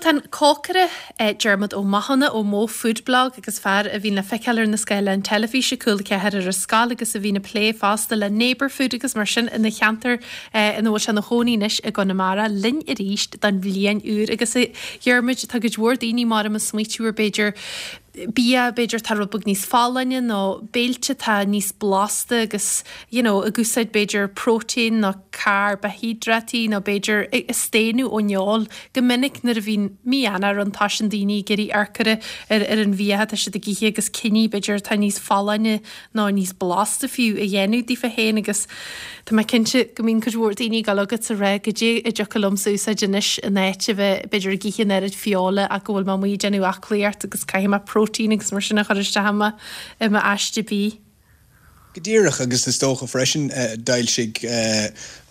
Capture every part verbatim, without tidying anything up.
Bhuel tá an cócaire Diarmuid Ó Mathúna ó Mo Food Blog agus fear a bhíonn le feiceáil ar na scáileáin teilifíse Cúla Ceathair ar an scoil agus a bhíonn ag plé fosta le neighbour food agus mar sin ina cheantar ina bhfuil sé ina chónaí anois i gConamara linn arís don bhliain úr agus a Dhiarmuid tá cuid mhór daoine mar a smaoitiú ar b'fhéidir bia b'fhéidir tá rud beag níos folláine nó béilte tá níos blasta agus you know, ag úsáid b'fhéidir próitéin nó carbaihiodráití nó b'fhéidir ag staonadh ón fheoil go minic nuair a bhíonn mí Eanáir ann tá sin daoine ag iarraidh amharc ar ar an bhia tá siad ag ithe agus cinní b'fhéidir tá níos folláine nó níos blasta fiú a dhéanamh daofa féin agus Tá mé cinnte go mbíonn cuid mhór daoine ag dul chugat ag rá goidé a dtiocfadh liomsa úsáid anois in áit a bheith b'fhéidir ag ithe an oiread feola ach go bhfuil mé amuigh ag déanamh aclaíocht agus caithfidh mé próitéin agus mar sin a chur isteach i mo i m'aiste bídh. Go díreach agus is dócha freisin d'fhoilsigh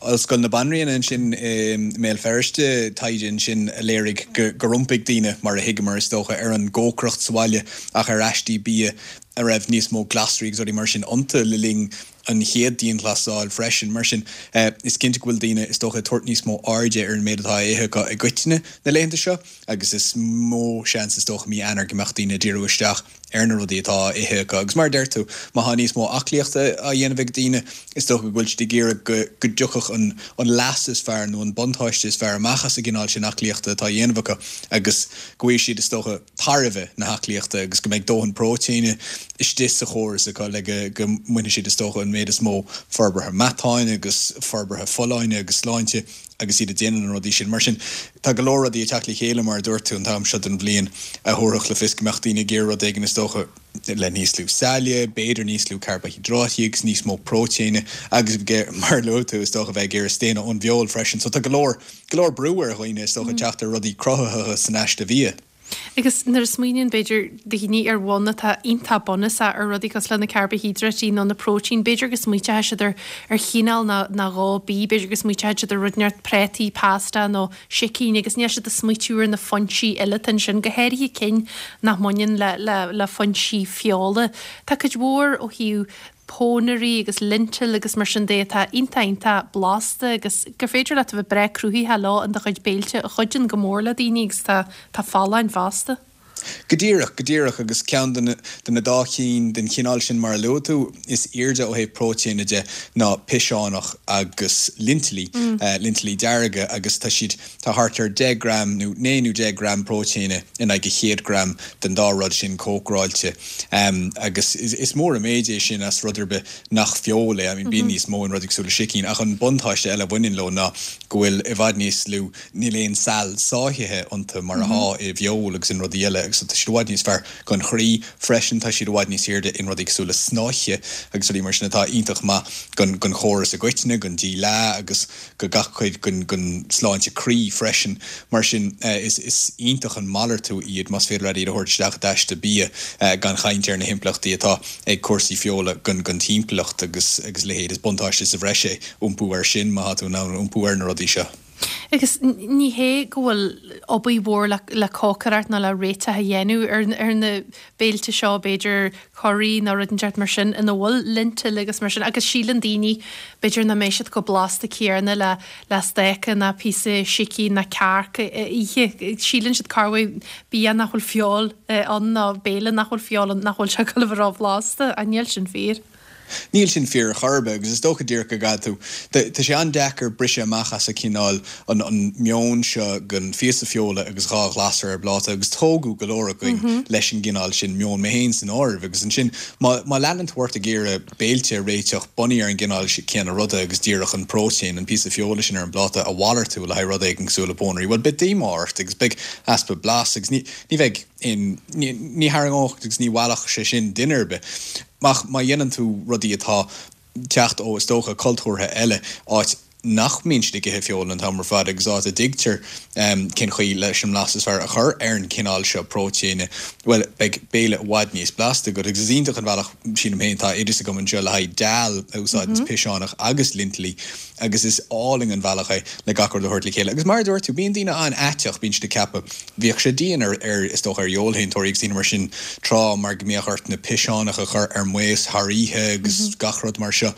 Ollscoil na Banríona ansin i mBéal Feirste taighde ansin a léirigh gur iompaigh daoine mar a thuigeamar is dócha ar an gcócaireacht sa bhaile ach ar aistí bia a raibh níos mó glasraí agus rudaí mar sin iontu le linn an chéad dianghlasáil freisin. Mar sin is cinnte go bhfuil daoine is dócha tabhairt níos mó airde ar an méid atá á ithe acu i gcoitinne na laethanta seo agus is mó seans is dócha mí Eanáir go mbeadh daoine díriú isteach ar na rudaí atá á ithe acu. Agus mar a deir tú, má tá níos mó aclaíochta á dhéanamh ag daoine, is dócha go bhfuil siad ag iarraidh go go dtiocfadh an an leas is fearr nó an buntáiste is fearr amach as an gcineál sin aclaíochta atá á dhéanamh acu agus go bhfaighidh siad is dócha tairbhe na haclaíochta agus go mbeidh dóthain próitéine istigh sa chóras acu le go go mbainfidh siad is dócha an méid is mó forbartha meatáin agus forbartha folláine agus sláinte agus iad ag déanamh na rudaí sin. Mar sin tá go leor rudaí ag teacht le chéile mar a dúirt tú an t-am seo den bhliain a thabharfadh le fios go mbeadh daoine ag iarraidh rud éigin is dócha le níos lú saille, b'fhéidir níos lú carbaihiodráití agus níos mó próitéine agus mar a luaigh tú is dócha bheith ag iarraidh staonadh ón bhfeoil freisin. So tá go leor go leor brú ar dhaoine is dócha teacht ar rudaí cruthaitheacha san aiste bhia. Agus nuair a smaoiníonn b'fhéidir daoine ar bhonn atá iontach bunúsach ar rudaí cosúil le na carbaihiodráití nó na próitéin, b'fhéidir go smaointeoidh siad ar ar chineál nó nó dhó bídh, b'fhéidir go smaointeoidh siad ar rud inteacht prátaí, pasta nó sicín agus níl siad ag smaoitiú ar na foinsí eile atá ansin, go háirithe cinn nach mbaineann le le le foinsí feola. Tá cuid mhór ó thaobh pónairí agus lintil agus mar sin de atá iontach iontach blasta agus gur féidir leat a bheith breá cruthaitheach leo in do chuid béilte a chuidíonn go mór le daoine agus tá tá folláin fosta. Go díreach, go díreach agus ceann de na de na dá chinn den chineál sin mar a luaigh tú is airde ó thaobh próitéine de ná piseánach agus lintilí, lintilí dearga agus tá siad tá thart ar deich gram nó naoi nó deich gram próitéine in aghaidh a chéad gram den dá rud sin cócaráilte. Agus is mór an méid é sin as rud ar bith nach feoil é. I mean bíonn níos mó in rudaí cosúil le sicín ach an buntáiste eile a bhaineann leo ná go bhfuil i bhfad níos lú, níl aon sal sáithithe iontu mar atá i bhfeoil agus in rudaí eile agus tá siad i bhfad níos fearr don chroí freisin, tá siad i bhfad níos airde in rudaí cosúil le snáithe agus rudaí mar sin atá iontach maith don don chóras i gcoitinne, don díleá agus go gach cuid den den sláinte croí freisin. Mar sin is is iontach an malartú iad más féidir leat iad a thabhairt isteach i d'aiste bia gan chaint ar na himpleachtaí atá ag cúrsaí feola don don timpeallacht agus agus leithéid. Is buntáiste sa bhreis é iompú air sin má tá tú in ann iompú ar na rudaí seo. Agus ní hé go bhfuil obair mhór le le cócaireacht nó le réiteach a dhéanamh ar ar na béilte seo, b'fhéidir curaí nó rud inteacht mar sin ina bhfuil lintil agus mar sin agus síleann daoine b'fhéidir nach mbeidh siad chomh blasta céanna le le stáca ná píosa sicín ná cearc a ithe. Síleann siad cá bhfuil bia nach bhfuil feoil ann nó béile nach bhfuil feoil ann nach bhfuil sé ag dul a bheith róbhlasta ach níl sin fíor. Níl sin fíor ar chor ar bith agus is dócha díreach go gcaithfidh tú, tá sé an-deacair briseadh amach as an chineál, an an meon seo den phíosa feola agus dhá ghlasra ar bpláta agus tógadh go leor againn leis an gcineál sin meoin, mé féin san áireamh agus ansin má má leanann tú ort ag iarraidh béilte a réiteach bunaithe ar an gcineál céanna ruda agus díreach an próitéin, an píosa feola sin ar an bpláta a mhalartú le haghaidh rud éigin cosúil le pónairí, bhuel beidh díomá ort agus beidh easpa blas agus ní ní bheidh aon ní ní tharraingeodh agus ní mheallfadh sé sin duine ar bith. Ach má dhéanann tú rudaí atá teacht ó, is dócha, cultúrtha eile, áit nach mbíonn siad ag ithe feoil an t-am ar fad agus áit a dtuigtear cén chaoi leis an mblas is fearr a chur ar an chineál seo próitéine, bhuel, beidh béile i bhfad níos blasta agat. Agus is iontach an bealach, sílim féin, tá oideas agam anseo le haghaidh dal a úsáideanns piseánach agus lintilí agus is álainn an bealach é le gach rud a thabhairt le chéile. Agus mar a dúirt tú, bíonn daoine an-aiteach, bíonn siad ag ceapadh, bhíodh sé dian ar, ar, is dócha, ar fheoilshéantóirí agus daoine mar sin tráth mar go mbíodh ort na piseánacha a chur ar maos thar oíche agus gach rud mar seo.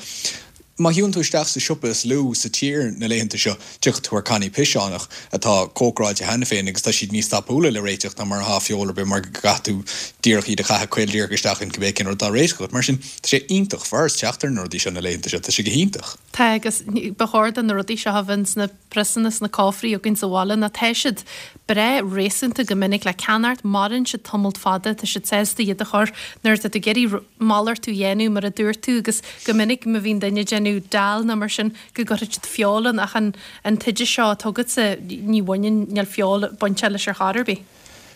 Má shiúlann tú isteach sa siopa is lú sa tír na laethanta seo, tiocfaidh tú ar cannaí piseánach atá cócaráilte cheana féin agus tá siad níos tapúla le réiteach ná mar atá feoil ar bith mar go gcaithfidh tú díreach iad a chaitheamh caol díreach isteach in cibé cén rud atá á réiteach agat. Mar sin, tá sé iontach furast teacht ar na rudaí seo na laethanta seo, tá sé go hiontach. Tá agus ba chóir do na rudaí seo a bheith sna priosanna sna cófraí againn sa bhaile nó tá siad breá réasúnta go minic le ceannacht, maireann siad tamalt fada, tá siad sásta iad a chur nuair atá tú ag iarraidh malartú a dhéanamh mar a dúirt tú agus go minic má bhíonn duine ag déanamh dal nó mar sin go gcuirfidh siad feoil ann ach an an t-oideas seo atá agatsa ní bhaineann níl feoil bainte leis ar chor ar bith.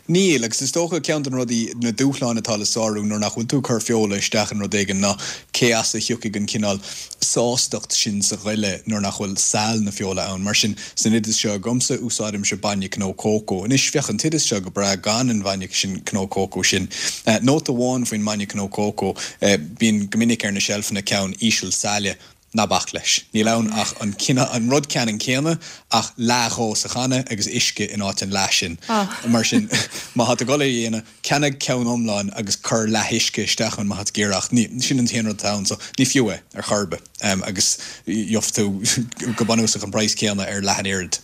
Níl, agus is dócha ceann de na rudaí, na dúshláin atá le sárú nuair nach bhfuil tú ag cur feola isteach in rud éigin ná cé as a thiocfaidh an cineál sástacht sin sa ghoile nuair nach bhfuil sail na feola ann. Mar sin, san oideas seo agamsa, úsáidimse bainne cnó cócó. Anois, bheadh an t-oideas seo go breá gan an bhainne sin cnó cócó sin. Nóta amháin faoin mbainne cnó cócó, bíonn go minic ar na seilfeanna ceann íseal saille. Ná bac leis. Níl ann ach an an rud ceannann céanna ach leath dhó sa channa agus uisce in áit an leath sin. Mar sin, má tá tú ag dul é a dhéanamh, ceannaigh ceann iomlán agus cuir leath uisce isteach ann má tá tú ag iarraidh ach ní, sin an t-aon rud atá ann so ní fiú é ar chor ar bith agus gheobhaidh tú go bunúsach an praghas céanna ar leath an oiread.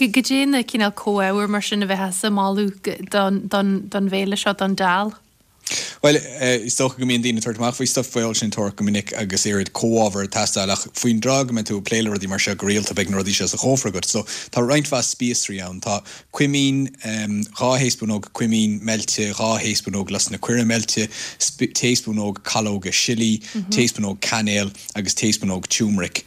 Goidé na cineál comhábhair mar sin a bheifeá ag moladh don, don, don bhéile seo, don dal? Bhuel, is dócha go mbíonn daoine ag tabhairt amach faoi stuif feoilséantóireacht go minic agus oiread comhábhar ag teastáil ach faoin dtráth go mbeidh tú ag plé le rudaí mar seo go rialta beidh na rudaí seo sa chófra agat. So tá roinnt mhaith spíosraí ann. Tá cuimín, dhá thaespúnóg cuimín meilte, dhá thaespúnóg lus na coire meilte, taespúnóg calóga sillí, taespúnóg cainéil agus taespúnóg tiúmaric.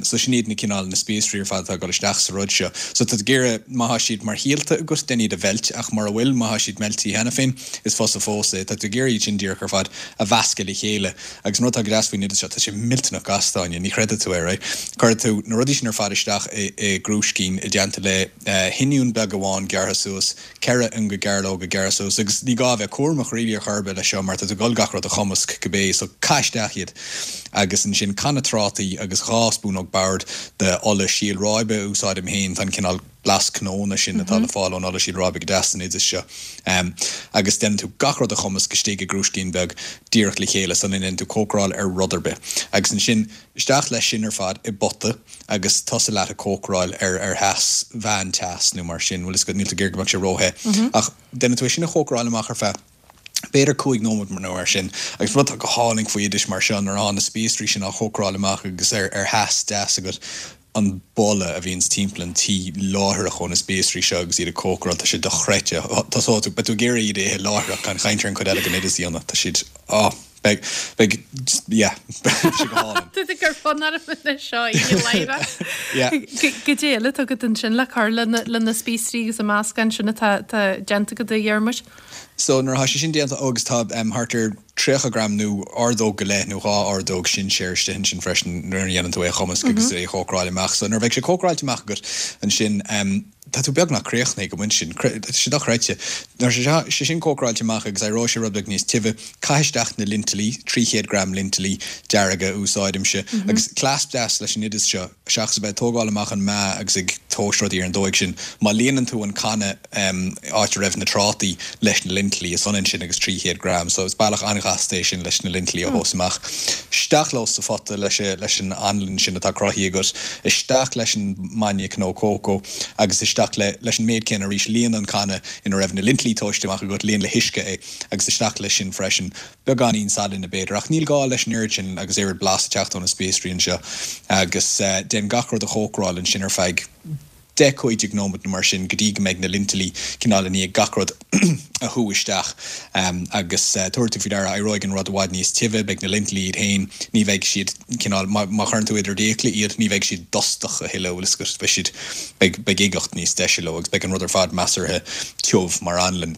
So sin iad na cineál na spíosraí ar fad atá ag dul isteach sa rud seo. So tá tú ag iarraidh, má tá siad mar shíolta agat, déan iad a mheilt ach mura bhfuil, má tá siad meilte cheana féin, is fusa fós é. Tá tú ag iarraidh iad sin díreach ar fad a mheascadh le chéile. Agus an rud atá go deas faoin oideas seo, tá sé millteanach gasta, Áine, ní chreidfidh tú é, right? Cuirfidh tú na rudaí sin ar fad isteach i i gcrúiscín i dteannta le hoinniún beag amháin gearrtha suas, ceithre ionga gairleoga gearrtha suas, agus ní gá a bheith cúramach really ar chor ar bith leis seo mar tá tú ag dul gach rud a chumasc cibé, so caith isteach iad. Agus ansin canna trátaí agus dhá spúnóg boird de ola síol ráibe a úsáidim féin, tá an cineál blas cnónna sin atá le fáil ón ola síol ráibe go deas san oideas seo. Agus déanann tú gach rud a chumasc istigh i gcrúiscín beag díreach le chéile sula ndéanann tú cócaráil ar rud ar bith. Agus ansin isteach leis sin ar fad i bpota agus tosaigh leat ag cócaráil ar ar theas, mheán-teas nó mar sin, bhfuil fhios agat, níl tú ag iarraidh go mbeadh sé róthe. Ach déanann tú é sin a chócaráil amach ar feadh b'fhéidir cúig nóiméad nó mar sin. Agus rud atá go hálainn faoi oidis mar seo nuair atá na spíosraí sin á chócaráil amach agus ar ar theas deas agat, an boladh a bhíonns timpeall an tí láithreach ó na spíosraí seo agus iad ag cócaráil, tá sé dochreidte. Tosóidh tú, beidh tú ag iarraidh iad a ithe láithreach, gan chaint ar an chuid eile den oideas a dhéanamh. Tá siad, oh, beidh, beidh, yeah, beidh sé go hálainn. Tá tú ag cur fonn orm anois seo a ithe láithreach. Yeah. Goidé eile atá agat ansin le cur le na spíosraí agus an meascán sin atá déanta agat a Dhiarmuid? So nuair atá sé sin déanta agus tá thart ar tríocha gram nó ordóg go leith nó dhá ordóg sinséir istigh ansin freisin nuair a dhéanann tú é a chumasc agus é a chócaráil amach. So nuair a bheidh sé cócaráilte amach agat ansin tá tú beagnach críochnaithe ag an bpointe sin. Tá sé dochreidte. Nuair atá sé sin cócaráilte amach agus éireoidh sé rud beag níos tibhe, caith isteach na lintilí, trí chéad gram lintilí dearga a úsáidimse. Agus cleas deas leis an oideas seo, seachas a bheith ag tógáil amach an meá agus ag tomhas rudaí ar an dóigh sin, má líonann tú an canna, áit a raibh na trátaí, leis na lintilí, is ionann sin agus trí chéad gram. So is bealach an-ghasta é sin leis na lintilí a thomhas amach. Isteach leo sa phota leis leis an anlann sin atá cruthaithe agat, isteach leis an mbainne cnó cócó agus isteach le leis an méid céanna arís. Líon an canna ina raibh na lintilí tomhaiste amach agat, líon le huisce é agus isteach leis sin freisin. Beagáinín salainn b'fhéidir, ach níl gá leis an oiread sin agus oiread blas ag teacht ó na spíosraí anseo. Agus déan gach rud a chócaráil ansin ar feadh deich, cúig déag nóiméad nó mar sin go dtí go mbeidh na lintilí cineál i ndiaidh gach rud a shú isteach. Agus tabharfaidh tú faoi deara, éireoidh an rud i bhfad níos tibhe, beidh na lintilí iad féin, ní bheidh siad cineál, má chuireann tú idir d'fhiacla iad, ní bheidh siad dustach a thuilleadh, bhfuil fhios agat, beidh siad, beidh, beidh uigeacht níos deise leo agus beidh an rud ar fad measartha tiubh mar anlann.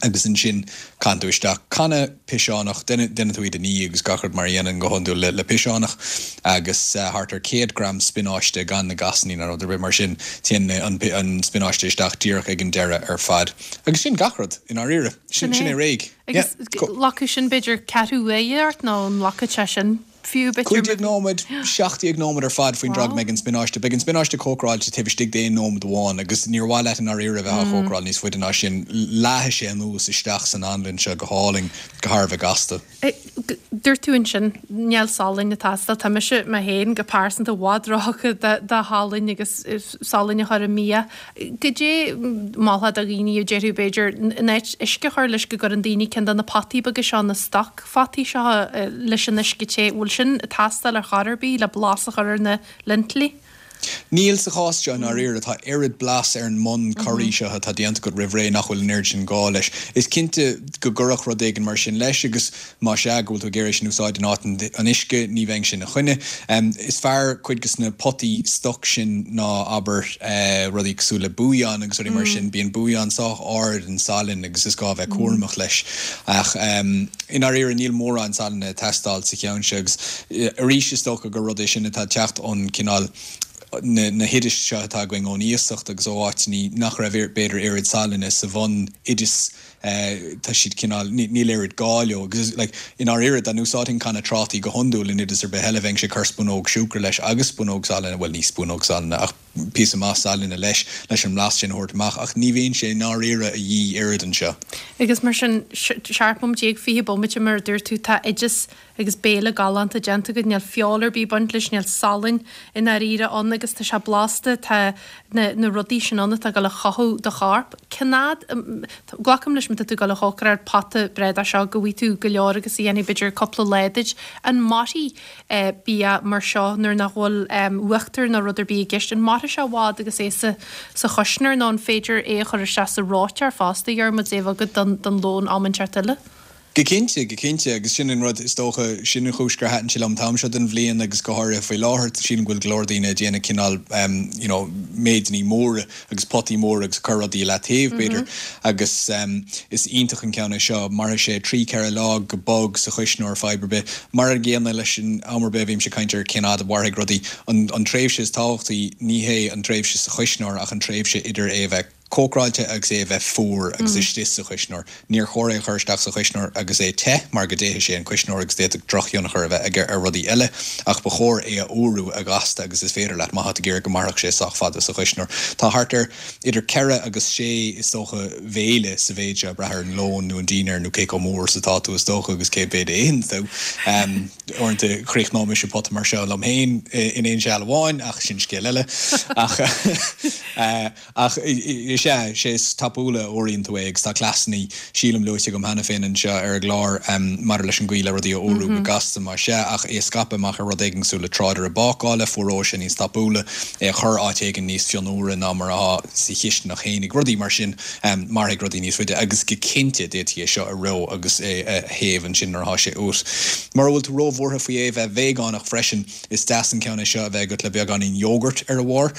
Agus ansin caitheann tú isteach canna piseánach, déanann tú iad a ní agus gach rud mar a dhéanann go hiondúil le piseánach, agus thart ar céad gram spionáiste gan na gasanna ná rud ar bith mar sin, téann an spionáiste isteach díreach ag an deireadh ar fad. Agus sin gach rud, i ndáiríre. Sin é réidh. Agus glacfaidh sin b'fhéidir ceathrú uaire ort nó an nglacfaidh sé sin? fiú b'fhéidir? Cúig déag nóiméad, seacht déag nóiméad ar fad faoin dtráth go mbeidh an spionáiste. Beidh an spionáiste cócaráilte taobh istigh d'aon nóiméad amháin agus níor mhaith leat i ndáiríre a bheith á chócaráil níos faide ná sin. Leáfaidh sé anuas isteach san anlann seo go hálainn, go thar a bheith gasta. Dúirt tú ansin, níl salainn ag teastáil. Tá mise mé féin go pearsanta i bhfad róthugtha do shalainn agus salainn a chur i mbia. Goidé molfá do dhaoine a déarfadh b'fhéidir in áit uisce a chur leis go gcuireann daoine ceann de na potaí beaga seo, na stoc photaí seo leis an uisce te. Bhfuil sin ag teastáil ar chor ar bith le blas a chur ar na lintilí? Níl sa chás seo i ndáiríre. Tá oiread blas ar an mbun curaí seo atá déanta agat roimh ré nach bhfuil an oiread sin gá leis. Is cinnte go gcuirfeadh rud éigin mar sin leis agus más ea go bhfuil tú ag iarraidh sin a úsáid in áit an uisce, ní bheinn sin ina choinne. Is fearr cuid de na potaí stoc sin ná, abair, rudaí cosúil le bouillon agus rudaí mar sin. Bíonn bouillon sách ard in salann agus is gá a bheith cúramach leis. Ach i ndáiríre níl mórán salainn ag teastáil sa cheann seo agus arís is dócha gur rud é sin atá ag teacht ón cineál na na hoidis seo atá againn ón iasacht agus ó áiteanna nach raibh b'fhéidir oiread salainne sa bhun-oideas tá siad cineál níl oiread gá leo agus like i ndáiríre dá n-úsáidfinn canna trátaí go hiondúil in oideas ar bith eile bheinnse ag cur spúnóg siúcra leis agus spúnóg salainne, bhuel ní spúnóg salainne ach píosa maith salainne leis leis an mblas sin a thabhairt amach ach ní bhíonn sé i ndáiríre a dhíth oiread anseo. Agus mar sin, seacht bomaite déag, fiche bomaite mar a dúirt tú, tá oideas agus béile galánta déanta agat, níl feoil ar bith ag baint leis, níl salann i ndáiríre ann agus tá sé blasta, tá na na rudaí sin ann atá ag dul a chothú do chorp. Cén fhad, glacaim leis má tá tú ag dul a chócaráil pota breá de seo go bhfaighidh tú go leor agus a dhéanfaidh b'fhéidir cúpla lá duit. An mairfidh bia mar seo nuair nach bhfuil uachtar nó rud ar bith i gceist? An mairfidh sé i bhfad agus é sa sa chuisneoir nó an féidir é a chur isteach sa reoiteoir fosta, a Dhiarmuid, é a bheith agat don don lón am inteacht eile? Go cinnte, go cinnte, agus sin an rud, is dócha, sin an chúis gur thaitin sé liom an t-am seo den bhliain agus go háirithe faoi láthair, sílim go bhfuil go leor daoine ag déanamh cineál you know méideanna móra agus potaí móra agus ag cur rudaí i leataobh, b'fhéidir, agus is iontach an ceann é seo, mairfidh sé trí, ceithre lá go bog sa chuisneoir, fadhb ar bith. Mar an gcéanna leis an am ar bith a bhímse ag caint ar cén fhad a mhairfidh rudaí, an an tréimhse is tábhachtaí, ní hé an tréimhse sa chuisneoir ach an tréimhse idir é a bheith cócaráilte agus é a bheith fuar agus istigh sa chuisneoir. Níor chóir é a chur isteach sa chuisneoir agus é te mar go dtéifidh sé an cuisneoir agus d'fhéadfadh drochthionchar a bheith aige ar rudaí eile ach ba chóir é a fhuarú a ghasta agus is féidir leat má tá tú ag iarraidh go mairfeadh sé sách fada sa chuisneoir. Tá thart ar idir ceithre agus sé, is dócha, bhéile sa mhéid seo, ag brath ar an lón nó an dinnéar nó cé chomh mór is atá tú is dócha agus cé mhéad a itheann tú. Uaireanta chríochnódh mise pota mar seo liom féin in aon seal amháin ach sin scéal eile. Ach Ach is ea, sé is tapúla a fhuaraíonn tú é agus tá cleasanna, sílim, luaite agam cheana féin anseo ar an gclár maidir leis an gcaoi le rudaí a fhuarú go gasta, más ea, ach é a scaipeadh amach ar rud éigin cosúil le tráidire bácála, fuaróidh sé níos tapúla, é a chur áit éigin níos fionnuaire ná mar atá sa chisteanach fhéinig, rudaí mar sin, mairfidh rudaí níos faide agus go cinnte d'fhéadfaí é seo a reo agus é a théamh ansin nuair atá sé uait. Mura bhfuil tú róbhuartha faoi é a bheith veigeánach freisin, is deas an ceann é seo a bheith agat le beagáinín yogurt ar a bharr.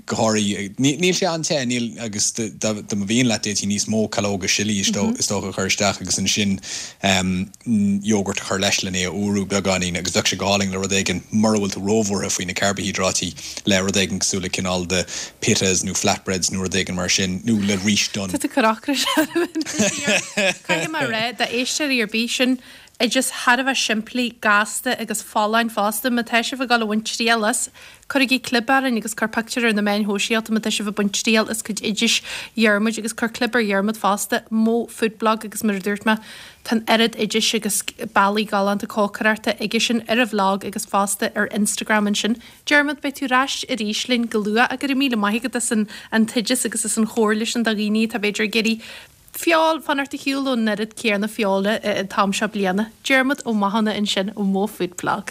Go háirithe, níl sé an-te, níl, agus dá mba mhian leat d'fhéadfaí níos mó calóga sillí is dócha a chur isteach agus ansin yogurt a chur leis len é a fhuarú beagáinín agus bheadh sé go hálainn le rud éigin, mura bhfuil tú róbhuartha faoi na carbaihiodráití, le rud éigin cosúil le cineál de pitas nó flatbreads nó rud éigin mar sin, nó le rís donn. Tá tú ag cur ocrais orm anois. Caithfidh mé a rá, d'éisteoirí ar bith, sin oideas thar a bheith simplí, gasta agus folláin fosta. Má tá sibh ag dul a bhaint triail as, cuirigí clib orainn agus cuir pictiúr ar na meáin shóisialta má tá sibh ag baint triail as cuid oidis Dhiarmuid agus cuir clib ar Dhiarmuid fosta, Mo Food Blog agus mar a dúirt mé, tá an oiread oidis agus bealaí galánta cócaireachta aigesean ar a bhlag agus fosta ar Instagram ansin. Diarmuid, beidh tú ar ais arís linn go luath ach go raibh míle maith agat as an t-oideas agus as an chomhairle sin do dhaoine atá b'fhéidir ag iarraidh Feoil, fanacht ar shiúl ón oiread céanna feola an t-am seo bliana. Diarmuid Ó Mathúna ansin ó Mo Food Blog.